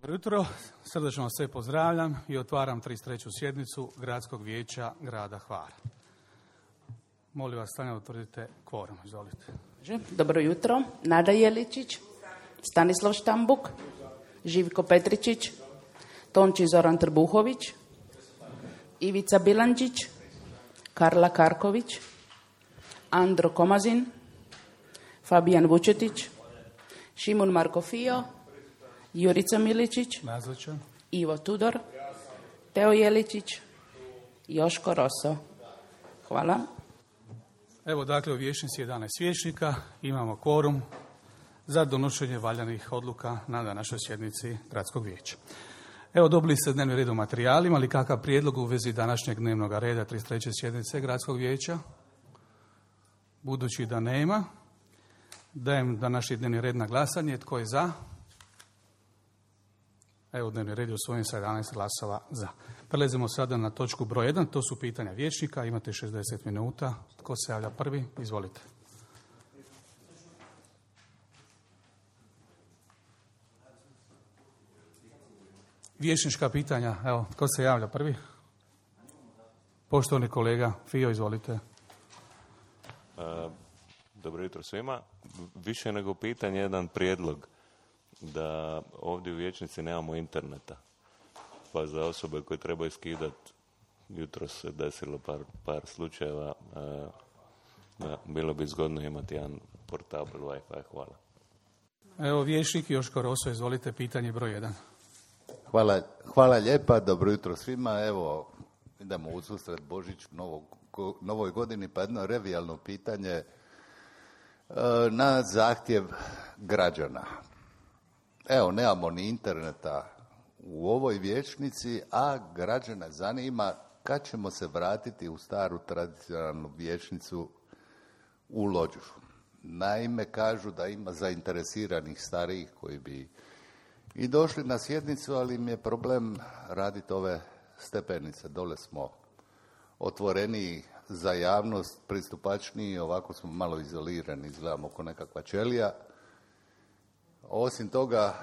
Jutro, srdačno vas sve pozdravljam i otvaram 33. sjednicu Gradskog vijeća grada Hvara. Molim vas, stanje utvrdite kvorum, izvolite. Dobro jutro, Nada Jeličić, Stanislav Štambuk, Živko Petričić, Tonči Zoran Trbuhović, Ivica Bilandžić, Karla Karković, Andro Komazin, Fabijan Vučetić, Šimun Markofio, Jurica Miličić, Nazočan. Ivo Tudor, Teo Jeličić, Joško Roso. Hvala. Evo dakle u vijećnici 11 vijećnika, imamo kvorum za donošenje valjanih odluka na današnjoj sjednici Gradskog vijeća. Evo dobili ste dnevni red u materijalima, ali kakav prijedlog u vezi današnjeg dnevnog reda 33. sjednice Gradskog vijeća? Budući da nema, dajem današnji dnevni red na glasanje. Tko je za? Evo dnevni red je usvojen sa 11 glasova za. Prelazimo sada na točku broj 1, to su pitanja vijećnika, imate 60 minuta. Tko se javlja prvi? Izvolite. Vijećnička pitanja, evo, tko se javlja prvi? Poštovani kolega Fio, izvolite. Dobro jutro svima. Više nego pitanje, jedan prijedlog da ovdje u vijećnici nemamo interneta. Pa za osobe koje trebaju skidati, jutro se desilo par slučajeva, bilo bi zgodno imati jedan portabl Wi-Fi. Hvala. Evo vijećnik Joško Roso, izvolite, pitanje broj 1. Hvala lijepa, dobro jutro svima. Evo, idemo u susret Božić novoj godini, pa jedno revijalno pitanje na zahtjev građana. Evo, nemamo ni interneta u ovoj vijećnici, a građane zanima kad ćemo se vratiti u staru tradicionalnu vijećnicu u Lođu. Naime, kažu da ima zainteresiranih starijih koji bi i došli na sjednicu, ali im je problem raditi ove stepenice. Dole smo otvoreniji za javnost, pristupačniji, ovako smo malo izolirani, izgledamo kao nekakva ćelija. Osim toga,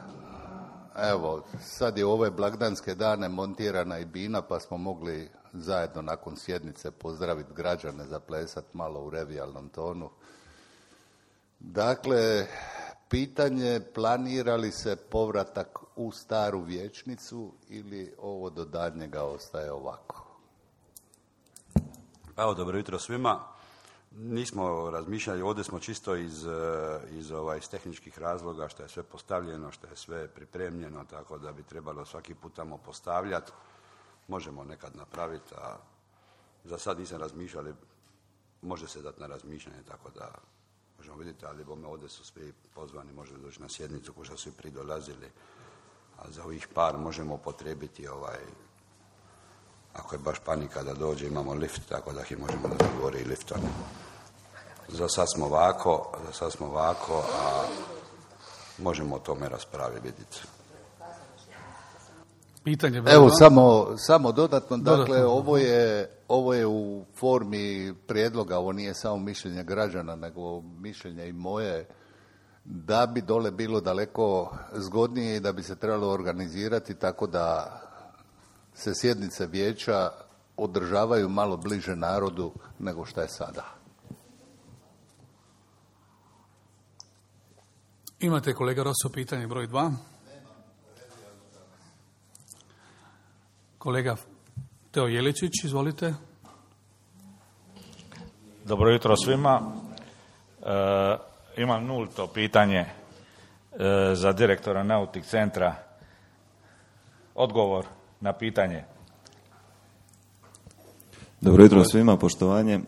evo, sad je u ove blagdanske dane montirana i bina, pa smo mogli zajedno nakon sjednice pozdraviti građane, zaplesati malo u revijalnom tonu. Dakle, pitanje, planira li se povratak u staru vijećnicu ili ovo do daljnjega ostaje ovako? Evo, dobro jutro svima. Nismo razmišljali, ovdje smo čisto iz tehničkih razloga, što je sve postavljeno, što je sve pripremljeno, tako da bi trebalo svaki put tamo postavljati. Možemo nekad napraviti, a za sad nisam razmišljali, može se dati na razmišljanje, tako da možemo vidjeti, ali bome ovdje su svi pozvani, može doći na sjednicu ko što su i pridolazili, a za ovih par možemo upotrijebiti ako je baš panika da dođe, imamo lift, tako da ih možemo da govori i liftom. Za sad smo ovako, a možemo o tome raspraviti, vidjeti. Pitanje. Evo, samo dodatno, dakle, ovo je u formi prijedloga, ovo nije samo mišljenje građana, nego mišljenje i moje, da bi dole bilo daleko zgodnije i da bi se trebalo organizirati tako da se sjednice vijeća održavaju malo bliže narodu nego što je sada. Imate, kolega Roso, pitanje broj 2. Kolega Teo Jeličić, izvolite. Dobro jutro svima. Imam nulto pitanje za direktora Nautik centra. Odgovor na pitanje. Dobro jutro svima, poštovanje.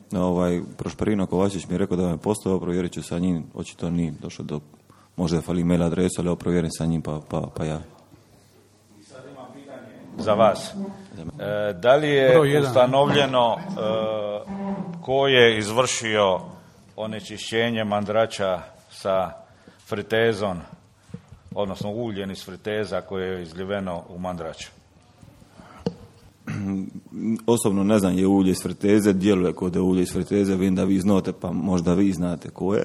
Prošperino Kovačić mi je rekao da me postao, provjerit ću sa njim, očito nije došao do, možda fali mail adresu, ali provjerim sa njim pa ja. Sad imam pitanje za vas. Da li je ustanovljeno ko je izvršio onečišćenje Mandrača sa fritezom, odnosno uljem iz friteza koje je izljeveno u Mandrač? Osobno ne znam je ulje iz friteze, djeluje kod je ulje iz friteze, vidim da vi znate, pa možda vi znate ko je.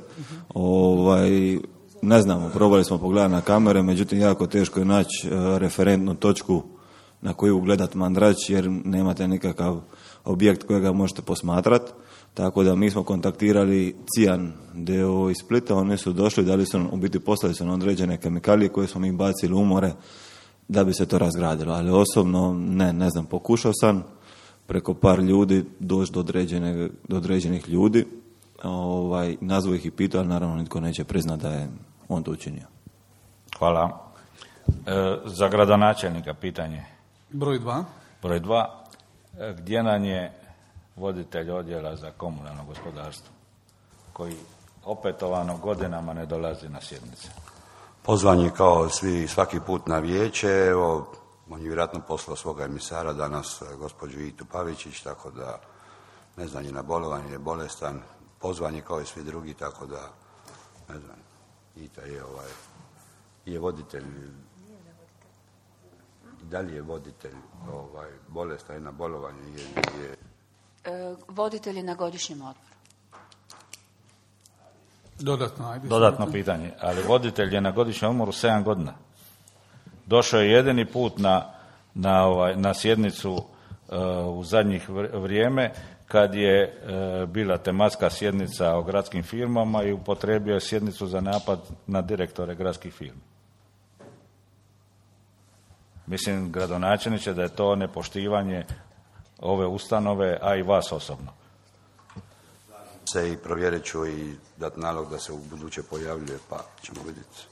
ne znamo, probali smo pogledati na kamere, međutim jako teško je naći referentnu točku na koju gledat Mandrač, jer nemate nikakav objekt kojega možete posmatrati. Tako da mi smo kontaktirali Cijan d.o.o. iz Splita, oni su došli, dali su, u biti poslali su nam određene kemikalije koje smo mi bacili u more da bi se to razgradilo. Ali osobno ne znam, pokušao sam preko par ljudi doći do određenih ljudi, nazvao ih i pitao, ali naravno nitko neće priznati da je on to učinio. Hvala. Za gradonačelnika pitanje. Broj 2. Broj 2. Gdje nam je voditelj odjela za komunalno gospodarstvo, koji opetovano godinama ne dolazi na sjednice? Pozvan je kao svaki put na vijeće, evo, on je vjerojatno poslao svoga emisara danas, gospođu Vitu Pavičić, tako da, ne znam, je na bolovanju, je bolestan, pozvan je kao i svi drugi, tako da, ne znam, Ita je voditelj, i dalje je voditelj, bolestan je na bolovanju, Voditelj je na godišnjem odmoru. Dodatno pitanje, ali voditelj je na godišnjem odmoru 7 godina. Došao je jedini put na sjednicu u zadnjih vrijeme kad je bila tematska sjednica o gradskim firmama i upotrijebio je sjednicu za napad na direktore gradskih firmi. Mislim, gradonačelniče, da je to nepoštivanje ove ustanove, a i vas osobno. Se i provjerit ću i dati nalog da se u buduće pojavljuje, pa ćemo vidjeti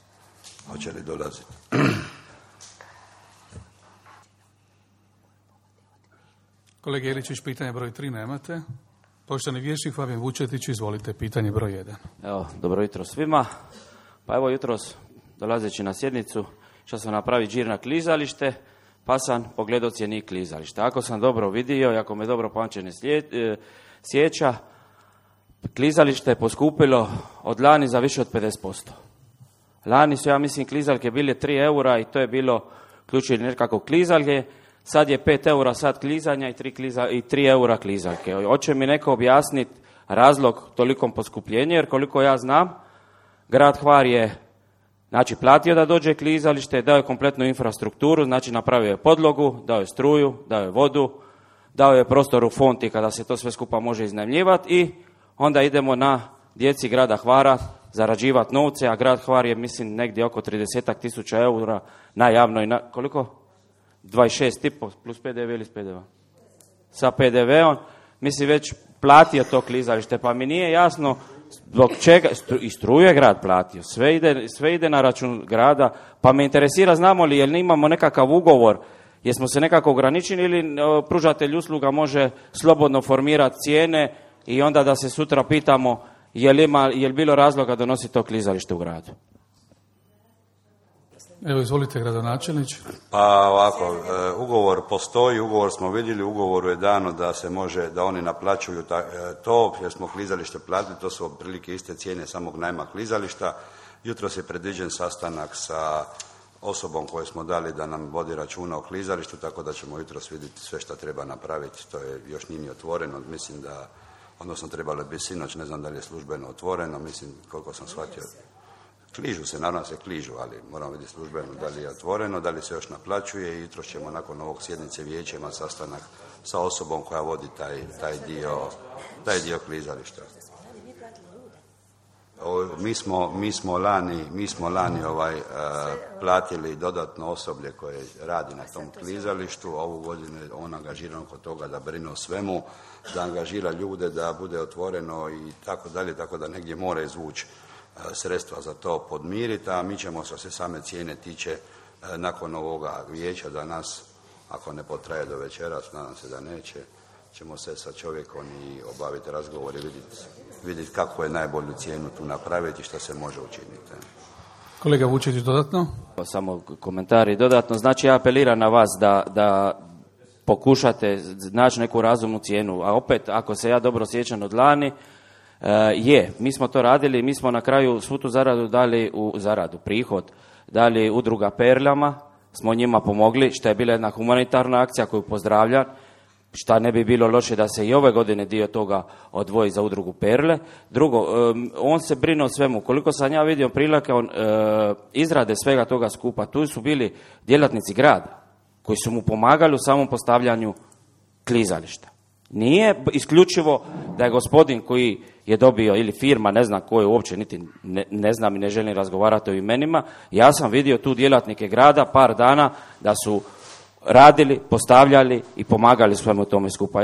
hoće li dolaziti. Kolega Iličić, pitanje broj 3 nemate. Poštovani vijećnik Fabijan Vučetić, izvolite, pitanje broj 1. Evo, dobro jutro svima. Pa evo jutros, dolazeći na sjednicu, što sam napravi džir na klizalište, pa sam pogledao cjenik klizališta. Ako sam dobro vidio i ako me dobro pamćenje sjeća, klizalište je poskupilo od lani za više od 50%. Lani su, ja mislim, klizaljke bile 3 eura i to je bilo ključili nekako klizaljke. Sad je 5 eura sad klizanja i 3 eura klizaljke. Hoće mi neko objasniti razlog tolikom poskupljenju, jer koliko ja znam, grad Hvar je platio da dođe klizalište, dao je kompletnu infrastrukturu, znači napravio je podlogu, dao je struju, dao je vodu, dao je prostor u fonti kada se to sve skupa može iznajmljivati i onda idemo na djeci grada Hvara zarađivati novce, a grad Hvar je, mislim, negdje oko 30.000 eura na javnoj, koliko? 26,5 plus PDV ili s PDV? Sa PDV-om, mislim, već platio to klizalište, pa mi nije jasno zbog čega, i struju je grad platio, sve ide na račun grada, pa me interesira, znamo li, jel imamo nekakav ugovor, jesmo se nekako ograničili ili pružatelj usluga može slobodno formirati cijene i onda da se sutra pitamo jel bilo razloga donositi to klizalište u gradu. Evo, izvolite, gradonačelnić. Pa ovako, ugovor postoji, ugovor smo vidjeli, ugovoru je dano da se može, da oni naplaćuju to, jer smo klizalište platili, to su otprilike iste cijene samog najma klizališta. Jutros je predviđen sastanak sa osobom koju smo dali da nam vodi računa o klizalištu, tako da ćemo jutros vidjeti sve što treba napraviti. To je još nije ni otvoreno, mislim da, odnosno trebalo bi sinoć, ne znam da li je službeno otvoreno, mislim, koliko sam shvatio. Kližu se, naravno se kližu, ali moramo vidjeti službeno da li je otvoreno, da li se još naplaćuje i jutros ćemo nakon ovog sjednice vijeća imati sastanak sa osobom koja vodi taj dio klizališta. Mi smo lani platili dodatno osoblje koje radi na tom klizalištu, a ovu godinu je on angažiran oko toga da brine o svemu, da angažira ljude, da bude otvoreno i tako dalje, tako da negdje mora izvući sredstva za to podmiriti, a mi ćemo što se same cijene tiče nakon ovoga vijeća danas, ako ne potraje do večeras, nadam se da neće, ćemo se sa čovjekom i obaviti razgovor i vidjeti kako je najbolju cijenu tu napraviti i što se može učiniti. Kolega Vučetić, dodatno? Samo komentari dodatno. Znači, ja apeliram na vas da pokušate naći neku razumnu cijenu, a opet, ako se ja dobro sjećam od lani, mi smo to radili, mi smo na kraju svu tu zaradu dali prihod, dali udruga Perljama, smo njima pomogli, što je bila jedna humanitarna akcija koju pozdravljam. šta ne bi bilo loše da se i ove godine dio toga odvoji za udrugu Perle. Drugo, on se brine o svemu. Koliko sam ja vidio prilike izrade svega toga skupa, tu su bili djelatnici grada koji su mu pomagali u samom postavljanju klizališta. Nije isključivo da je gospodin koji je dobio, ili firma, ne znam ko je uopće, niti ne znam i ne želim razgovarati o imenima, ja sam vidio tu djelatnike grada par dana da su radili, postavljali i pomagali svemu tome skupa.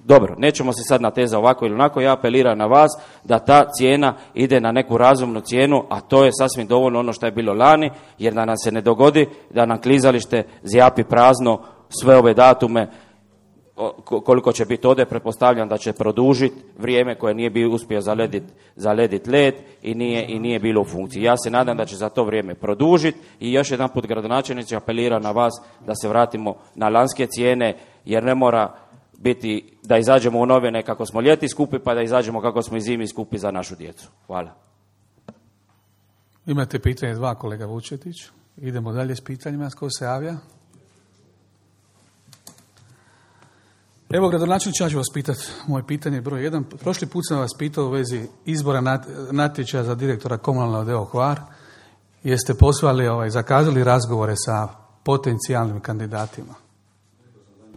Dobro, nećemo se sad natezati ovako ili onako, ja apeliram na vas da ta cijena ide na neku razumnu cijenu, a to je sasvim dovoljno ono što je bilo lani, jer da nam se ne dogodi da nam klizalište zjapi prazno sve ove datume, koliko će biti ovdje, pretpostavljam da će produžiti vrijeme koje nije bio uspio zalediti led i nije bilo u funkciji. Ja se nadam da će za to vrijeme produžiti i još jedan put gradonačelnici apelira na vas da se vratimo na lanske cijene, jer ne mora biti da izađemo u novine kako smo ljeti skupi, pa da izađemo kako smo i zimi skupi za našu djecu. Hvala. Imate pitanje 2, kolega Vučetić. Idemo dalje s pitanjima. Tko se javlja? Evo, gradonačelniče, ja ću vas pitati moje pitanje broj 1. Prošli put sam vas pitao u vezi izbora natječaja za direktora komunalnog odjela Hvar. Jeste poslali, zakazali razgovore sa potencijalnim kandidatima?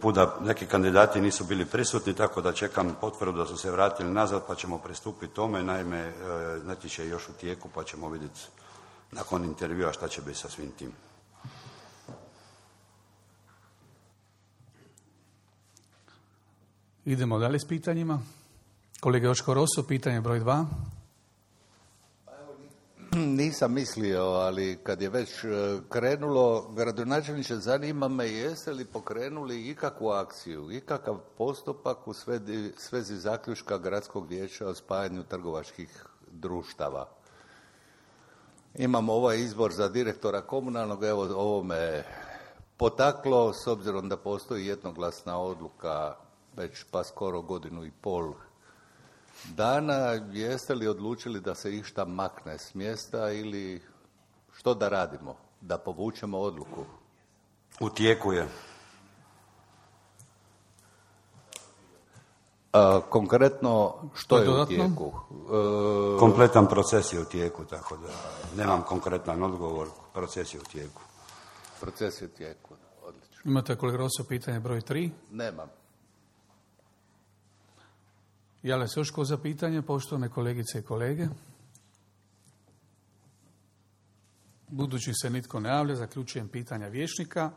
Puda neki kandidati nisu bili prisutni, tako da čekam potvrdu da su se vratili nazad, pa ćemo pristupiti tome. Naime, natječaj je još u tijeku, pa ćemo vidjeti nakon intervjua šta će biti sa svim tim. Idemo dalje s pitanjima. Kolega Joško Roso, pitanje broj 2. Nisam mislio, ali kad je već krenulo, gradonačelniče, zanima me jeste li pokrenuli ikakvu akciju, ikakav postupak u svezi zaključka gradskog vijeća o spajanju trgovačkih društava. Imamo ovaj izbor za direktora komunalnog, evo ovo me potaklo, s obzirom da postoji jednoglasna odluka već pa skoro 1.5 godina dana. Jeste li odlučili da se išta makne s mjesta ili što da radimo? Da povučemo odluku? U tijeku je. Konkretno, što je u tijeku? Kompletan proces je u tijeku, tako da nemam konkretan odgovor. Proces je u tijeku. Proces je u tijeku, odlično. Imate, kolega Roso, pitanje broj 3? Nemam. Javlja se još ko za pitanje, poštovane kolegice i kolege? Budući se nitko ne javlja, zaključujem pitanja vijećnika.